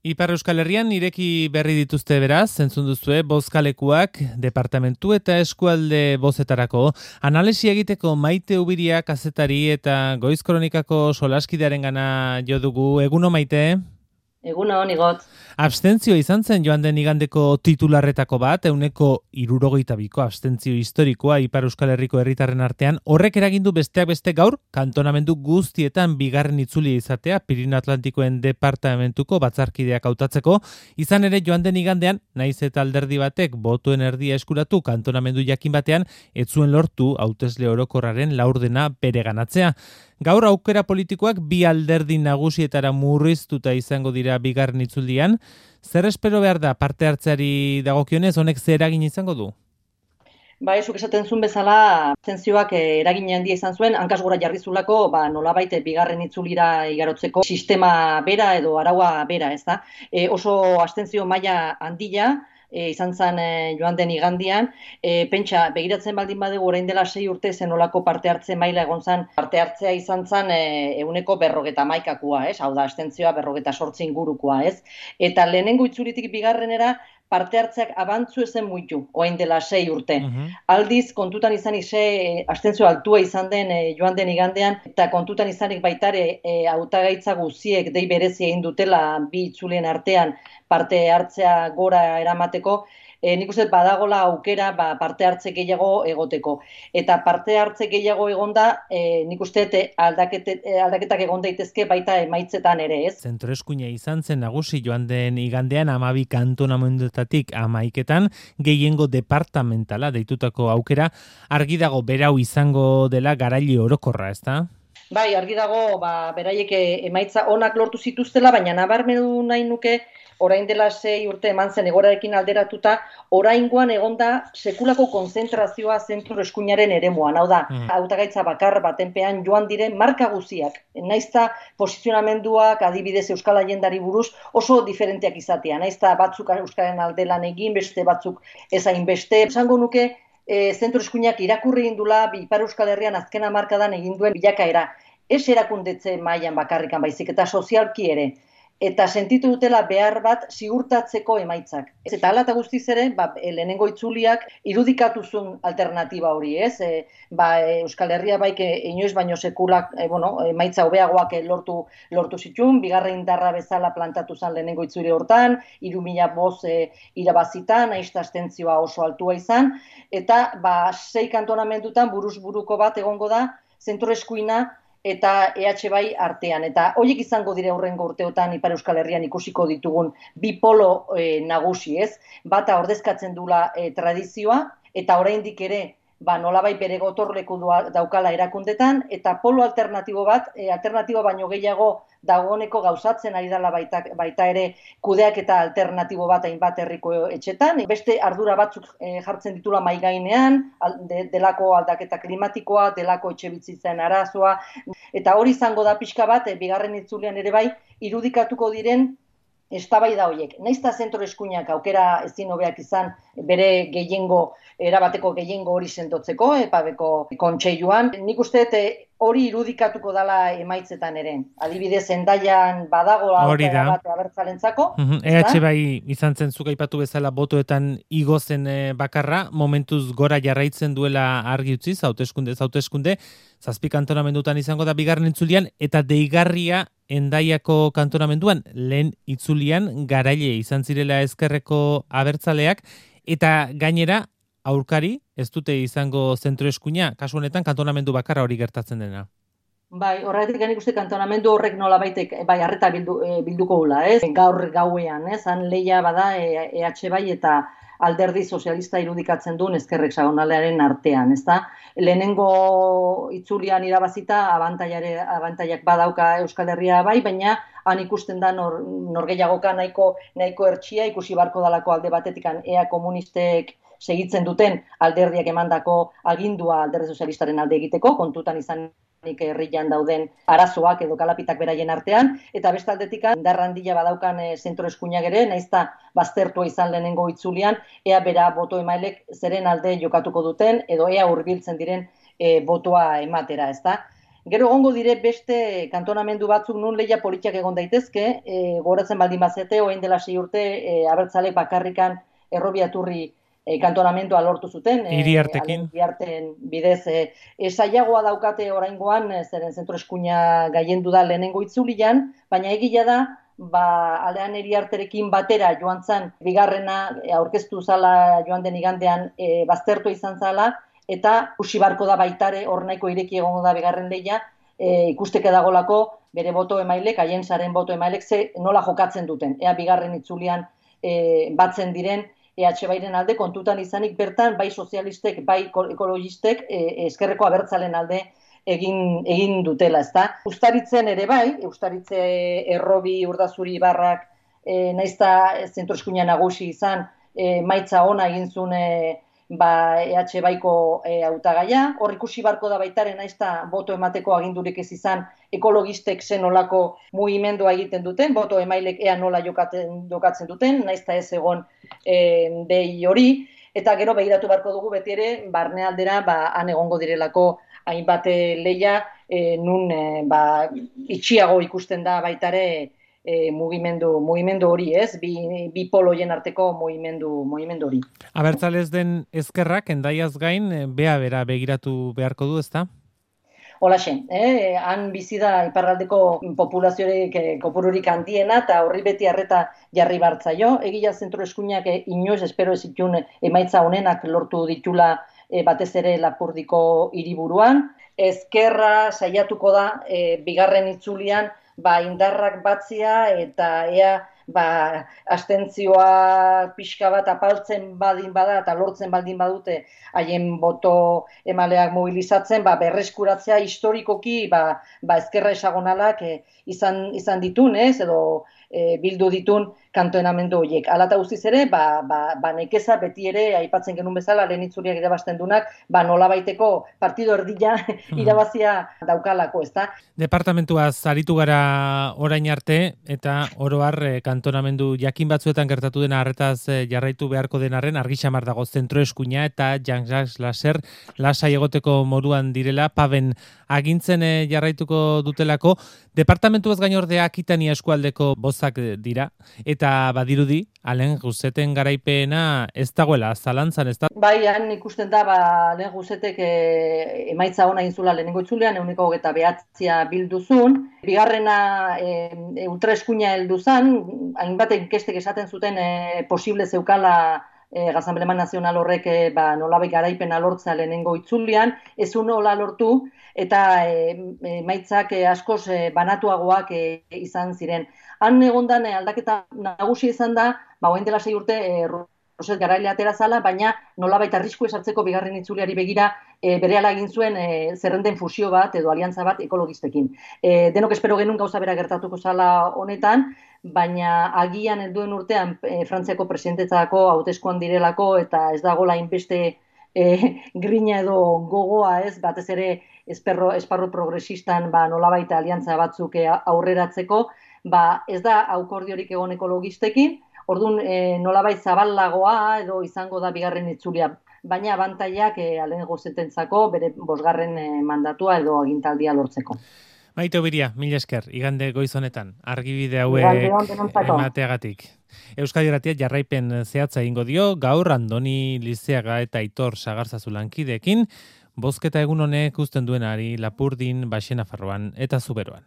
Ipar Euskal Herrian ireki berri dituzte beraz, entzun duzue, bozkalekuak, departamentu eta eskualde bozetarako. Analisi egiteko Maite Ubiria kazetari eta Goiz Kronikako solaskidearen gana jo dugu. Eguno Maite? Egunon, Igot. Abstentzio izan zen joan den igandeko titularretako bat, 172ko abstentzio historikoa Ipar Euskal Herriko herritarren artean. Horrek eragindu besteak beste gaur, kantonamendu guztietan bigarren itzulia izatea, Pirinio Atlantikoen departamentuko batzarkideak hautatzeko. Izan ere joan den igandean, naiz eta alderdi batek botuen erdia eskuratu kantonamendu jakin batean, ez zuen lortu hautesle orokorraren laurdena bereganatzea. Gaur aukera politikoak bi alderdi nagusietara murriztuta izango dira bigarren itzuldian. Zer espero behar da parte hartzeari dagokionez, honek zer eragin izango du? Ba, esuk esaten zuen bezala, abstentzioak eragin handia izan zuen, hankaz gora jarri zulako, nolabait bigarren itzulira igarotzeko sistema bera edo araua bera, ez da? Oso abstentzio maila handia, izan zen joan den igandian, pentsa, begiratzen baldin badugu orain dela 6 urte zenolako parte hartze maila egon zen, parte hartzea izan zen 151koa, ez? Hau da, abstentzioa 48 ingurukoa, ez? Eta lehenengo itzulitik bigarrenera, parte hartzeak abantzu ezen muitu, orain dela 6 urte. Aldiz, kontutan izanik abstentzio altua izan den joan den igandean, eta kontutan izanik baitare hautagaitza guziek dei berezia egin dutela bi itzulien artean parte hartzea gora eramateko, nik uste badagola aukera parte hartze gehiago egoteko. Eta parte hartze gehiago egonda, nik uste aldaketak egon daitezke baita emaitzetan ere, ez? Zentroeskuina izan zen nagusi joan den igandean 12 kantonamenduetatik 11etan, gehiengo departamentala deitutako aukera, argi dago berau izango dela garaile orokorra, ezta? Bai, argi dago beraiek emaitza onak lortu zituztela, baina nabarmendu nahi nuke orain dela 6 urte eman zen egoerarekin alderatuta, oraingoan egonda sekulako konzentrazioa zentroeskuinaren eremuan. Hau da, hautagaitza bakar batenpean joan diren marka guziak. Naizta posizionamenduak adibidez Euskal Agendari buruz oso diferenteak izatea. Naizta batzuk Euskaren alde lan egin, beste batzuk ez hainbeste. Esango nuke zentroeskuinak irakurri indula Ipar Euskal Herrian azken hamarkadan egin duen bilakaera. Ez erakundetze mailan bakarrikan baizik eta sozialki ere. Eta sentitu dutela behar bat ziurtatzeko emaitzak. Eta hala eta guztiz ere, lehenengo itzuliak irudikatu zuen alternatiba hori, ez? Euskal Herria baik inoiz baino sekulak, emaitza hobeagoak lortu zituen, bigarren indarra bezala plantatu zen lehenengo itzuli hortan, 3.000 boz irabazitan, abstentzioa oso altua izan, eta 6 kantonamendutan buruz buruko bat egongo da, zentroeskuina eta EH bai artean. Eta horiek izango dire hurrengo urteotan Ipar Euskal Herrian ikusiko ditugun bi polo nagusi, ez? Bata ordezkatzen dula tradizioa, eta oraindik ere nolabai bere gotorleku daukala erakundetan, eta polo alternatibo bat, alternatibo baino gehiago dagoeneko gauzatzen ari dela baita ere kudeak eta alternatibo bat hainbat herriko etxetan. Beste ardura batzuk jartzen ditula mahai gainean, delako aldaketa klimatikoa, delako etxebizitzen arazoa, eta hori izango da pixka bat, bigarren itzulian ere bai, irudikatuko diren eztabaida horiek. Naizta zentroeskuinak aukera ezin hobeak izan bere erabateko gehiengo hori sendotzeko, epabeko kontseiluan. Nik uste hori irudikatuko dala emaitzetan ere. Adibidez, Hendaian badago aukera bat abertzalentzako. EH bai izan zen zuk aipatu bezala botoetan igo zen bakarra, momentuz gora jarraitzen duela argi utziz, hauteskunde, 7 kantonamendutan izango da bigarren itzulian, eta deigarria Hendaiako kantonamenduan lehen itzulian garaile izan zirela ezkerreko abertzaleak, eta gainera aurkari ez dute izango zentroeskuina, kasu honetan kantonamendu bakarra hori gertatzen dena. Bai, horretik nik uste kantonamendu horrek nolabaitek harreta bilduko gula, ez? Gaur gauean, ez? Han lehia bada EH bai eta alderdi sozialista irudikatzen duen ezker hexagonalaren artean, ezta? Lehenengo itzulian irabazita abantaiak badauka Euskal Herria bai, baina han ikusten da norgehiagoka nahiko hertsia, ikusi barko dalako alde batetikan ea komunistek segitzen duten alderdiak emandako agindua alderdi sozialistaren alde egiteko, kontutan izan herrian dauden arazoak edo kalapitak beraien artean, eta beste aldetik indar handia badaukan zentroeskuinak ere, naizta baztertua izan lehenengo itzulian, ea bera boto emailek zeren alde jokatuko duten, edo ea hurbiltzen diren botoa ematera, ezta? Gero egongo dire beste kantonamendu batzuk nun lehia politiak egon daitezke, goratzen baldin bazete, orain dela 6 urte, abertzalek bakarrikan errobiaturri kantonamendua lortu zuten, Iriartekin. Iriarten bidez, saiagoa daukate oraingoan, zeren zentro eskuina gaiendu da lehenengo itzulian, baina egia da, aldean Iriarterekin batera joan zan, bigarrena aurkeztu zala joan den igandean baztertu izan zala, eta ikusi barko da baitare hor nahiko ireki egongo da bigarren lehia, ikusteke dagolako bere boto emailek, haien saren boto emailek nola jokatzen duten. Ea bigarren itzulian batzen diren EH Bairen alde kontutan izanik bertan, bai sozialistek, bai ekologistek, eskerreko abertzalen alde egin dutela, ezta? Ustaritzen ere bai, Ustaritze Errobi Urdazuri Barrak naizta zentro eskuina nagusi izan, maitza ona egin zuen EH Baiko hautagaia, hor ikusi barko da baitaren naizta boto emateko agindurik ez izan ekologistek zenolako mugimendua egiten duten, boto emailek ea nola jokatzen duten, naizta ez egon dei hori, eta gero begiratu barko dugu beti ere, barnealdera han egongo direlako hainbat lehia, nun itxiago ikusten da baitare mugimendu hori, ez? Bi poloien arteko mugimendu hori. Abertzalez den ezkerrak, endaiaz gain, bera begiratu beharko du, ezta? Holaxe, han bizi da iparraldeko populaziorik kopururik handiena, eta horri beti arreta jarri bartzaio. Egia zentro eskuinak inoiz espero ez itun emaitza honenak lortu ditula batez ere Lapurdiko hiriburuan. Ezkerra saiatuko da bigarren itzulian indarrak batzia eta ea abstentzioa pixka bat apaltzen baldin bada eta lortzen baldin badute haien boto emaleak mobilizatzen, berreskuratzea historikoki ezkerra esagonalak izan ditun, edo bildu ditun kantonamendu horiek. Hala eta guztiz ere, nekeza beti ere, aipatzen genuen bezala, lehen itzuliak irabazten dunak, nolabaiteko partido erdila irabazia daukalako, ezta? Departamentuaz aritu gara orain arte, eta oro har kantonamendu jakin batzuetan gertatu dena harretaz jarraitu beharko denarren, argi xamar dago zentro eskuina eta Jean-Jacques Lasser lasai egoteko moduan direla, paben agintzen jarraituko dutelako. Departamentuaz gain ordea Akitania eskualdeko bozak dira, eta badirudi, Alen Guzeten garaipena ez dagoela zalantzan, ez da? Bai, han ikusten da, Alen Guzetek emaitza ona inzula lehenengo itzulean, 29 bilduzun. Bigarrena ultraeskuina helduzan, hainbat inkestek esaten zuten posible zeukala Gazanbleman Nazional horrek nolabait garaipena lortzea lehenengo itzulian, ez nola lortu, eta emaitzak askoz banatuagoak izan ziren. Han egondan aldaketa nagusi izan da, orain dela 6 urte Roset Garaile atera zala, baina nolabait arrisku esartzeko bigarren itzuliari begira berehala egin zuen zerrenden fusio bat edo aliantza bat ekologistekin. Denok espero genuen gauza bera gertatuko zala honetan, baina agian helduen urtean Frantziako presidentetzako hauteskuan direlako eta ez dagoela hainbeste grina edo gogoa, ez, batez ere esparru progresistan nolabait aliantza batzuk aurreratzeko, ez da aukordiorik egon ekologistekin, orduan nolabait zabalagoa edo izango da bigarren itzulia, baina abantaiak Alen Guzetentzako bere 5. mandatua edo agintaldia lortzeko. Maite Obiria, mila esker, igande goiz honetan, argibide hauek emateagatik. Euskadi Irratia jarraipen zehatza egingo dio, gaur Andoni Lizeaga eta Aitor Sagarzazu lankideekin, bozketa egun honek uzten duenari Lapurdin, Baxenafarroan eta Zuberoan.